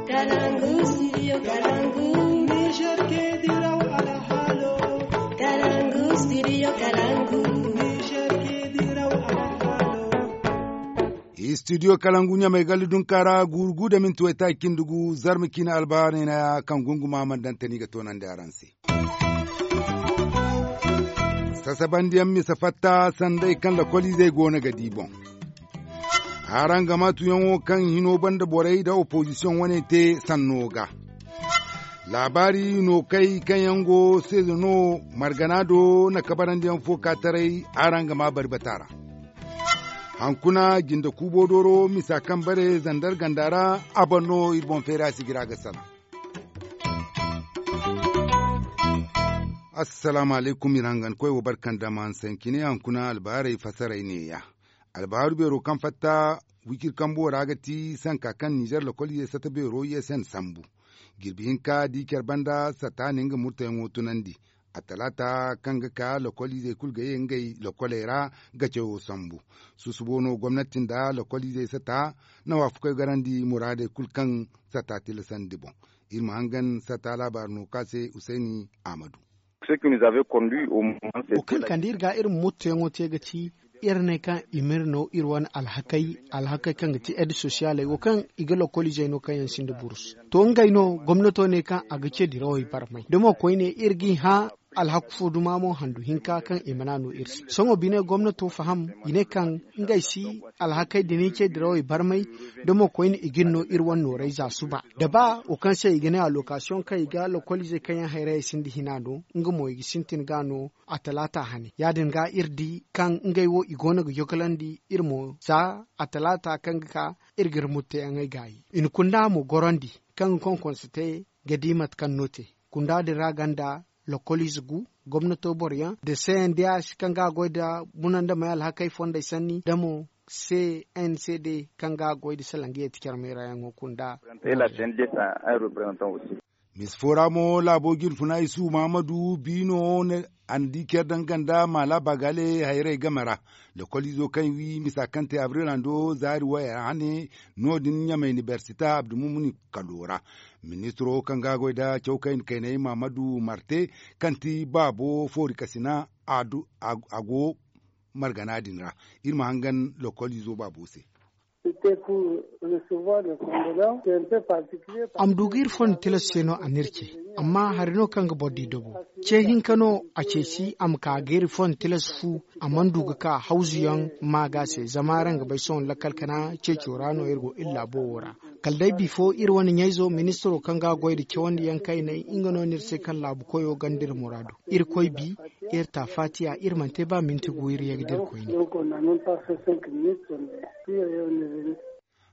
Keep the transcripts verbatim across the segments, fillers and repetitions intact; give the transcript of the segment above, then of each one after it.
Kalangu, studio Kalangu. Niger ke diraw alhalo. Kalangu, studio Kalangu. Niger ke diraw alhalo. Studio Kalangu ɲamay galli dunkaara guuru gu da minti waytaaci cindi gu zarma ciine albahaarey na ya kaŋ gunguma mana daŋ tani ga toonandi araŋ se. Sasabandiyaŋ misa fatta sanday kaŋ lakoliizey go no ga di boŋ. Araŋ ga maa tuyaŋo kaŋ hino banda borey nda opozisiyoŋ wane te sanno ga. Laabaari no kay kaŋ yaŋ go seezo no margana do na kabarandiyaŋ fo ka taray. Araŋ ga maa bari bata ra. Hankuna jinde kuubo dooro misa kaŋ bare zandar ganda ra. A boŋ no iri boŋ feera si jira ga salaŋ. Assalaamu alaykum iri hangan koy wo barkan da ma hanse cine hankuna albahaarey fasaray neeya. Albahaaru beero kaŋ fatta wiciri kambo ra ga ti sanka kaŋ ninzeer lokoliizey sata beero i s n sambu. Jirbi hinka di care banda sata na nga murtayaŋo tunandi. Attalaata kaŋ ga ka lokoliizey kulu ga ye ngey lokoley ra ga cawo sambu. Susubo no gomnati nda lokoliizey sata na waafakoy garandi muraadey kulu kaŋ sata tilasandi boŋ. Iri ma hangan sata laabaari no ka se husayni ahmadu. Wo kaŋ kande iri ga iri ma mottoyaŋo te ga ti iri ne kaŋ i ma iri no iri wane alhakey alhakey kaŋ ga ti ed sosiyaley wo kaŋ i ga lokoliizey no kaŋ yaŋ sinda burus. To ngey no gomnato ne kaŋ a ga ce dirawey barmay da mo koyne iri ga i hã. Alhaku fo duma mo handu hinka kaŋ i mana no iri se sohõ bine gomnato faham i ne kaŋ ngey si alhakey da ni ce dirawey barmay. Da mo koyne i ga ni no iri wane noorey za suba da ba wo kaŋ se i ga ne alokasiyoŋ kaŋ i ga lokoliizey kaŋ yaŋ hayrayey sinda hina no nga mo i ga sintin ga no. Attalaata hane ya- din ga iri di kaŋ ngey wo i go no ga yokolandi iri mo za attalaata kaŋ ga ka iri ga iri mutteyaŋey gaayi i na kunda mo gorandi kaŋ ga konkonse te ga di mate kaŋ no te. Kunda din ra ganda lokoliize gu gomnato boro yaŋ da c n d h kaŋ ga a goy nda bunandamey alhakey fondey sanni da mo c n c d kaŋ ga a goy nda salangiye ti care meerayaŋo kunda. Misa fo ra mo laabo jinfuna isuhu mahamadu biino a na di care daŋ ganda maala bagale hayrey game ra. Lokoliizo kaŋ wi misa kaŋ te abril hando zaari waya hane no- din ɲamay nibersita abdumumuni kalo ra. Ministiro kaŋ ga a goy nda cawkayna kaynay mahamadu marte kaŋ ti baabo foori kasina a go margana din ra. Iri ma hangan lokoliizo baabo se. A ma du ga iri fondo tilas se no a n'iri ce. Amma hari no kaŋ ga boro di dobo ce hinka no a ceeci a ma ka ga iri fondo tilas fu. A mana du ga ka hawzuyaŋ ma ga se zama araŋ ga bay sohõ lakkal kana ceeco ra no iri go iri laabo wo ra. Kala day bifo iri wane ɲayzo ministiro kaŋ ga a goy nda cawandi yaŋ kaynay nga no n'iri se kaŋ laabu koyo ganda iri muraadu. Iri koy bi iri ta faatiya iri mana te ba minti gu iri ye ga dira koyne.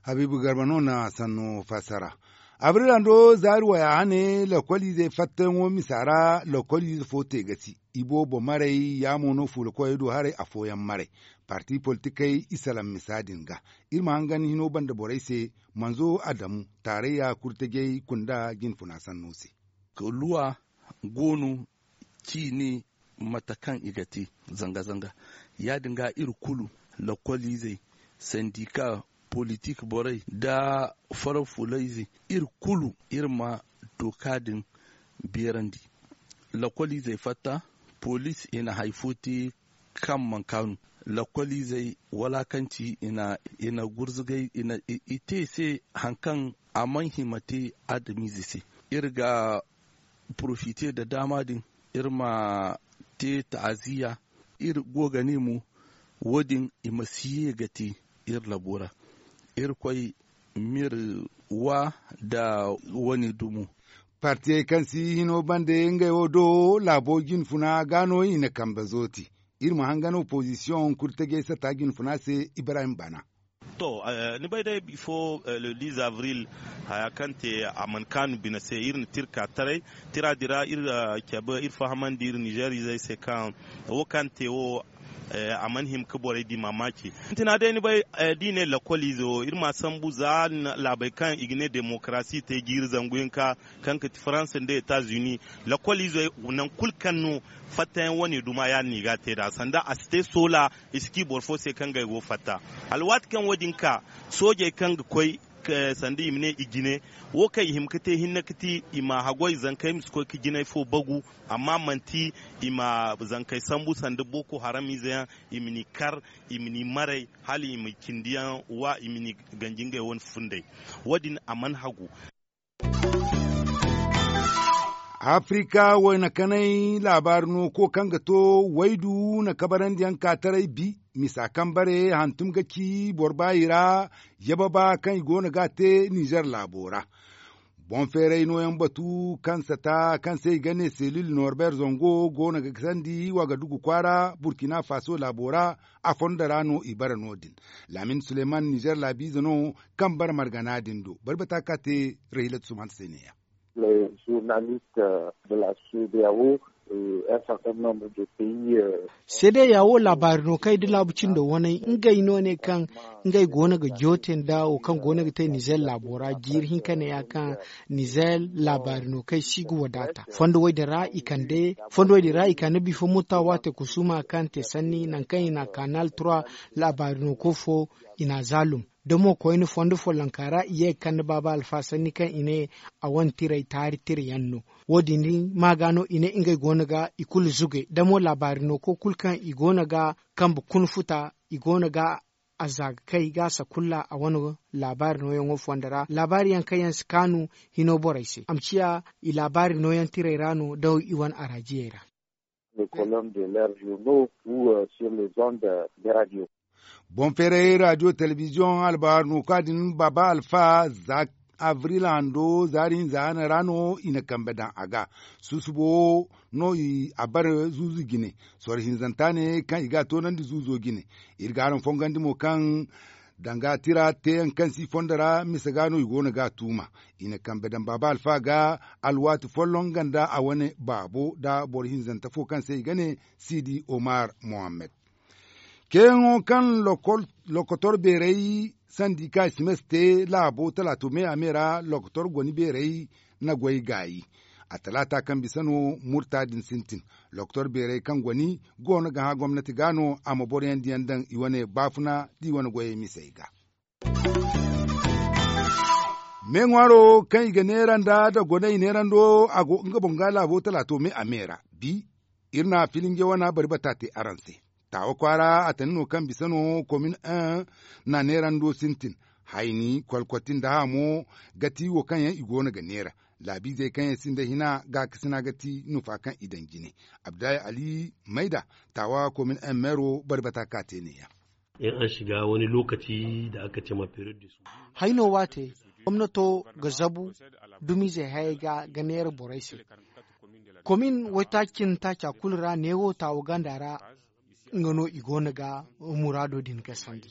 Habiibu garba no na sanno fassara. Abril hando zaari waya hane lokoliizey fattayaŋo misa ra lokoliize fo te ga si. Iboobo maray ya mo no fuula koyey do haray afooyaŋ maray. Parti politikey i salaŋ misa din ga. Iri ma hangan hino banda borey se manzo adamu taarayya kurtajey kunda jinfuna sanno se. Luwa go no ciine mate kaŋ i ga te zanga-zanga. Ya- din ga iri kulu lokoliizey sandika politik borey nda farar fulayze iri kulu iri ma dooka din beerandi. Lokoliizey fatta poliis i na hari fo te kaŋ mana kaanu. Lokoliizey walaakanci i na gurzugay i te i se hari kaŋ a mana hima te adamiize se. Iri ga porofite nda daama din iri ma te ta'aziyya. Iri go ga ne mo wo- din i ma si ye ga te iri labo ra. Irkoy m'iri wa nda wane dumo. Partiyey kaŋ si hino bande ngey wo do laabo jinfuna ga no i na kambe zooti. Iri ma hangan opozisiyoŋ kurtajey sata jinfuna se ibrahim bana. To, ni bay day bifo le dix avril haya kaŋ te a mana kaanu bine se iri na tira ka taray. Tira dira iri cabe iri fahamandi iri nizeer izey se kaŋ wo kaŋ te wo a mana hima ga borey di maamaaci. Sintina day ni bay da i ne lakkol ize wo iri m'a sambu za laabey kaŋ i ga ne demokarasi te jiiri zangu hinka kaŋ ga ti faransa nda etazuni. Lakkol izey nangu kulu kaŋ no fattayaŋ wane duma ya- din no i ga a te nd'a sanda a si te soola. I si ci boro fo se kaŋ ga ay go fatta hala waati kaŋ wo- din ka soojey kaŋ ga koy sanda i ma ne i jine. Wo kaŋ i hima ga te hinne ga ti i ma haggoy zankey ma si koy ga jinay fo bagu. Amma manti i ma zankey sambu sanda boko haram ize yaŋ, i ma ni kar, i ma ni maray, hala i ma cindi yaŋ wa, i ma ni ganji ngey wane fundey. Wo- din a mana hagu. Afrika wayna kanay laabaari no ko kaŋ ga to waydu na kabarandiyaŋ ka taray bi. Misa kaŋ bare hantum ga ci boro baayi ra, yababa kaŋ i go no ga a te nizer laabo ra. Boŋ feeray nooyaŋ batu kaŋ sata kaŋ se i ga ne selil norber zongo go no ga sandi wagadugu kwaara burkina faso laabo ra. A fondo ra no i bare no- din. Laamin suleman nizer laabiize no kaŋ bare margana din do bari bata ka te. Rahilat suman se ne- ya. Seede yaawo laabaari no kaŋ ay da laabu cindo waney ngey no ne kaŋ ngey go no ga joote nda wo kaŋ go no ga te nizer laabo ra jiiri hinka ne ya kaŋ nizer laabaari no kaŋ ay si ga wadaata fondo wo- din ra i kande. Fondo wo- din ra i kande bifo mutta waate kusuma kaŋ te sanni nangu kaŋ i na kanal tura laabaari no ko fo i na zaalum. Da mo koyne fondo follonka ra i ye ga kande baaba alfa sanni kaŋ i ne a wane tiray taari tira yaŋ no. Wo- din ma ga no i ne ngey go no ga i kulu zuge da mo laabaari no ko kulu kaŋ i go no ga kambe kuna futa i go no ga a za ga kay ga sakulla a wane laabaari nooyaŋo fondo ra laabaari yaŋ kaŋ yaŋ si kaanu hino borey se a ma ciya i laabaari nooyaŋ tiray ra no da i wane araajiyey ra. Boŋ feeray radio telebiziyoŋ albahaari no ka din baaba alfa za abril hando zaari hinza hane ra no i na kambe daŋ a ga. Susubo no a bare zuuzu jine soro hinzanta ne kaŋ i ga a toonandi zuuzo jine. Iri ga araŋ fongandi mo kaŋ danga tira teeyaŋ kaŋ si fondo ra mise ga no i go no ga a tuuma. I na kambe daŋ baaba alfa ga alwaati folloŋ nga nda a wane baabo nda boro hinzante fo kaŋ se i ga ne siidi omar mohammed. Ceeyaŋo kaŋ lokotor beeray sandi ka i si ma si te laabo talaato me a me ra lokotor goni beeray na goy gaayi. A talaata kaŋ bisa no murta din sintin. Lokotor beeray kaŋ goni go no ga hã gomnati ga no a ma boroyaŋ diyaŋ daŋ i wane baafuna da i wane goyey misey ga. Me ŋwaaro kaŋ i ga neera nda da gone i neerando a go nga boŋ ga laabo talaato me a me ra. Bi iri na filinje wana bari bata te araŋ se. Taawa kwaara a tani no kaŋ bisa no komin un na neerando sintin. Hayni kolkoti nda hamo ga ti wo kaŋ yaŋ i go no ga neera. Laabiizey kaŋ yaŋ sinda hina gaakasina ga ti nufa kaŋ i daŋ jine. Abdulahi ali mayda taawa komin un meero bari bata ka te ne- ya. Iri araŋ si ga wani lokaci da aka ce ma period de su. Hayno waate gomnato ga zabu dumiizey hayey ga ga neera borey se. Komin waytaaci cindi taaca kulu ra neewo taawa ganda ra nga no i go no ga muraado din ga sandi.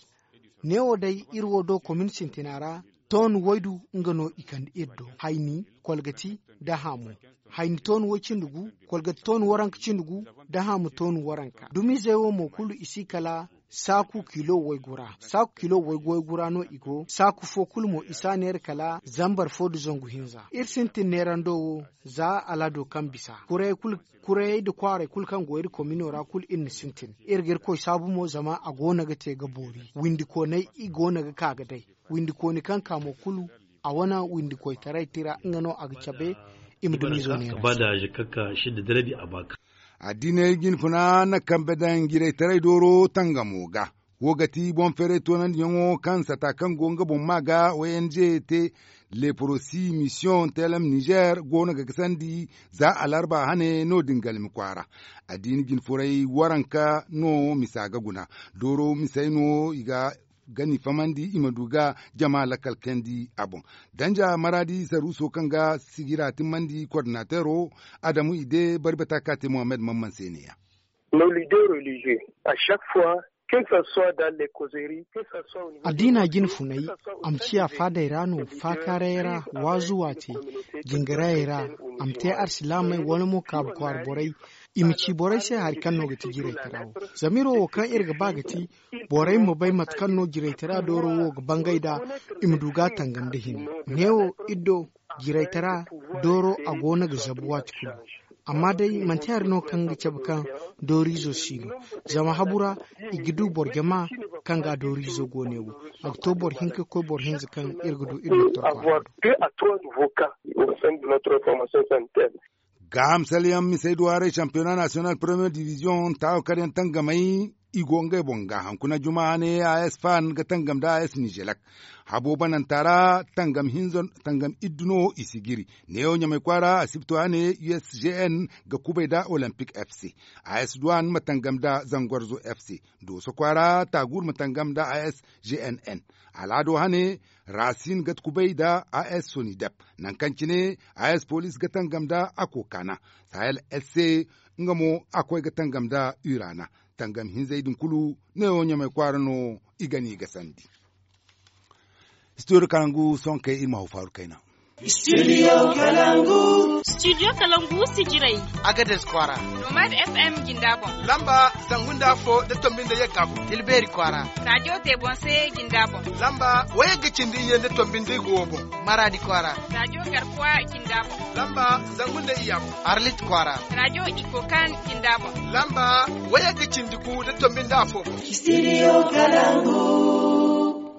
Neewo day iri wo do komin sintina ra tooni waydu nga no i kande iri do hayni kolgati da haamu. Hayni tooni way cindi gu, kolgati tooni waranka cindi gu, da haamu tooni waranka dumiizey wo mo kulu i si kala saaku kilo waygura saaku kilo waygura no i go saaku fo kulu mo i si a neera kala zambar fo nda zangu hinza. Iri sintin neerando wo za alaado kaŋ bisa kurayey nda kwaarey kulu kaŋ go iri komino ra kulu iri na sintin. Iri ga iri koy saabu mo zama a go no ga te ga boori windikooney i go no ga ka ga day. Windikooni kaŋ ka mo kulu a wane windikoytaray tira nga no a ga cabe. I ma dumiizo neera. Addiiney jinfuna na kambe daŋ jiraytaray dooro tangamo ga. Wo ga ti boŋ feeray toonandiyaŋo kaŋ sata kaŋ go nga boŋ maa ga ong te leprosi mission telem nizer go no ga gasandi za alarba hane no- din galmi kwaara. Addiini jinfuray waranka no misa ga guna dooro misey no i ga gani famandi i ma du ga jama lakkal kayandi a boŋ. Danja maraadi saruuso kaŋ ga sigira timmandi kordinateero adamu i de bari bata ka te mohammed mamman se ne- ya. Addiina jine funay a ma ciya faadey ra no faakaaray ra waazu waate jingarayey ra a ma te arsilaamey wala mo kaabu kwaara borey. I ma ci borey se hari kaŋ no ga ti jiraytara wo zama iri wo kaŋ iri ga ba ga ti borey ma bay mate kaŋ no jiraytara dooro wo ga bangay nd'a. I ma du ga a tangam nda hinne neewo iri do jiraytara dooro a go no ga zabu waati kulu. Amma day manti hari no kaŋ ga cabe kaŋ dooriizo si no. Zama habu ra i ga du boro jama kaŋ ga a dooriizo go ne wo. A ga to boro hinka ga koy boro hinza kaŋ iri ga du iri doktor kwaara do. Gaaham salyaŋ misey duwaaray sampiyona nasiyonal premiyer diviziyoŋ taawo kar yaŋ tangamay. I go ngey boŋ ga hankuna juma hane a s fan ga tangam nda a s nizelak. Habo bananta ra tangam iddu no i si giri. Neewo ɲamay kwaara asibto hane u s g n ga kubay nda olimpik f c. A s duwan ma tangam nda zangorzo f c. Dooso kwaara taaguur ma tangam nda a s g n n. Alaado hane raasin ga kubay nda a s sonidep. Nangu kaŋ cine a s poliis ga tangam nda a kookana. Sahel s c nga mo a koy ga tangam nda urana. Tangam hinzey din kulu neewo ɲamay kwaara no i ga ni ga sandi. Studio kalangu sonkey iri ma haw faaru kayna. Studio kalangu. Studio kalangu sijiray. Agades kwaara. Nomad f m jinda boŋ. Lamba zangu nda afo nda tombi nda yagga boŋ. Tilbeeri kwaara. Radiyo te boŋ se jinda boŋ. Lamba wayagga cindi iyye nda tombi nda igo boŋ. Maradi kwaara. Radiyo garkuwa jinda boŋ. Lamba zangu nda iyya boŋ. Arlit kwaara. Radiyo ikokan jinda boŋ. Lamba wayagga cindi gu nda tombi nda afo boŋ. Studio kalangu.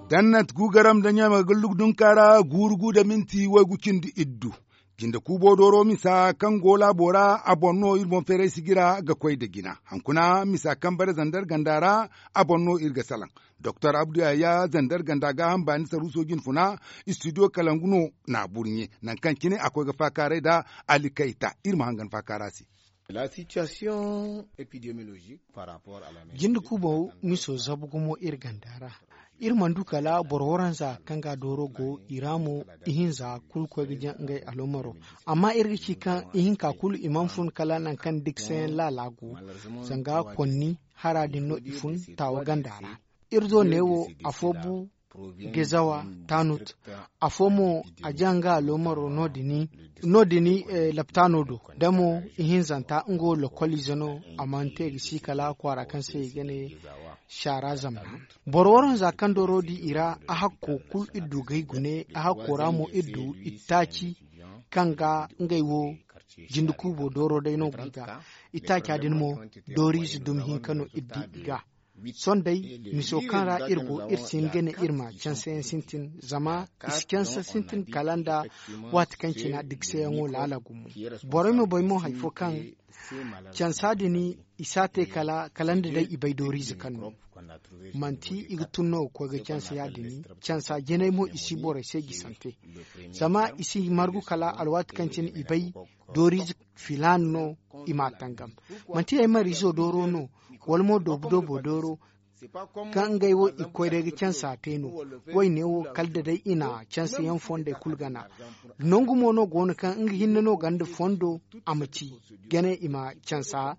Dannat gugaram da ɲama ga lugdun kaara guuru gu da minti waygu cindi iddu. Jinde kuubo dooro misa kaŋ go laabo ra a boŋ no iri boŋ feeray sijira ga koy nda jina. Hankuna misa kaŋ bare zandar ganda ra a boŋ no iri ga salaŋ. Doktor abdu yaya zandar ganda gaaham baani saruuso jinfuna. Istidiyo kalangu no n'a burɲe nangu kaŋ cine a koy ga faakaaray nda ali kayta iri ma hangan faakaara se. Jinde kuubo miso zabu gumo iri ganda ra. Iri mana du kala boro waranza kaŋ ga dooro go i ra mo. Ihinza kulu koy ga jaŋ ngey aloomaro. Amma iri ga ci kaŋ ihinka kulu i mana fun kala nangu kaŋ diksayaŋ laala go. Zanga konni hara din no i fun taawa ganda ra. Iri do neewo afo bu gezawa tanut. Afo mo a jaŋ ga aloomaro no- din laptaano do da mo ihinzanta nga wo lokoliize no. A mana te ga si kala kwaara kaŋ se i ga ne saara zamna. Boro waranza kaŋ dooro di i ra a hakko kulu iri du ga i gune a hakko ra mo iri du ittaaci kaŋ ga ngey wo jinde kuubo dooro day no go i ga. Ittaaca din mo dooriize dumi hinka no iri di i ga. Sohõ day miso kaŋ ra iri go iri si hin ga ne iri ma canse yaŋ sintin zama i si canse sintin kala nda waati kaŋ cina dikseyaŋo laala gumo. Borey ma bay mo hari fo kaŋ cansa din i si a te kala nda day i bay dooriize kaŋ no manti i ga tun no ga koy ga canse ya- din. Cansa jinay mo i si borey se gisante zama i si margu kala alwaati kaŋ cine i bay dooriize filaana no i m'a tangam. Manti ay mariizo dooro no wala mo doobu doobo dooro kaŋ ngey wo i ga koy day ga cansa te no. Woyne wo kala da day i na cansa yaŋ fondey kulu gana. Nangu mo no go no kaŋ nga hinne no ganda fondo a ma ci gane i ma cansa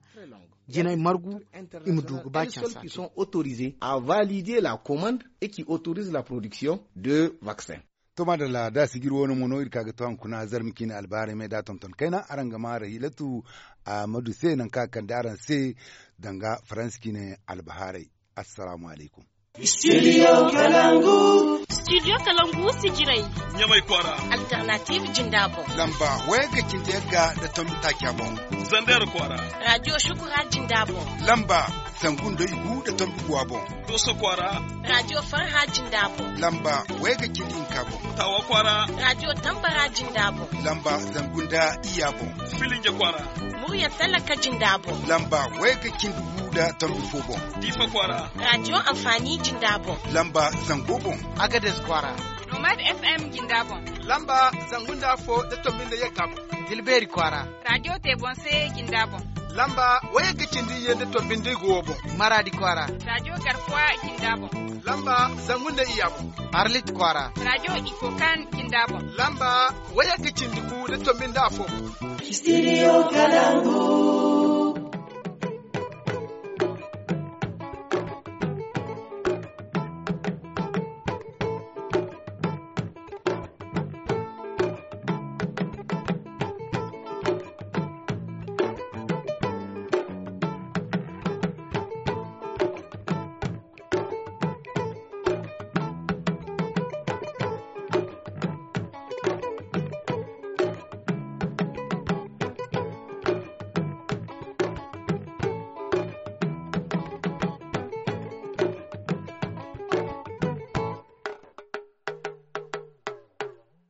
jinay margu i ma du ga ba cansa te. A valider la commande et qui autorise la production de vaccin. To maadalla da sijir woono mo no iri ka ga to hankuna zarma ciine albaharay me da tonton kayna araŋ ga ma rahilatu amadu se nangu kaŋ a kande araŋ se danga faransi ciine albaharay. Assalaamu alaykum. Studio kalangu. Studio kalangu sijiray. Ɲamay kwaara. Alternative jinda boŋ. Lamba wayagga cindi yagga nda tombi taaca boŋ. Zander kwaara. Radiyo shukura jinda boŋ. Lamba zangu nda igu nda tombi guwa boŋ. Dooso kwaara. Radiyo farha jinda boŋ. Lamba wayagga cindi hinka boŋ. Taawa kwaara. Radiyo tambara jinda boŋ. Lamba zangu nda iyya boŋ. Filinje kwaara. Murya talaka jinda boŋ. Lamba wayagga cindi gu nda tombi fo boŋ. Diifa kwaara. Radiyo anfaani jinda boŋ. Lamba zango boŋ. Agades kwaara. Nomad f m jinda boŋ. Lamba zangu nda afo nda tombi nda yagga boŋ. Dilbeeri kwaara. Radiyo te boŋ se jinda boŋ. Lamba wayagga cindi iyye nda tombi nda igo boŋ. Maradi kwaara. Radiyo garkuwa jinda boŋ. Lamba zangu nda iyya boŋ. Arlit kwaara. Radiyo ikokan jinda boŋ. Lamba wayagga cindi gu nda tombi nda afo boŋ. Studio kalangu.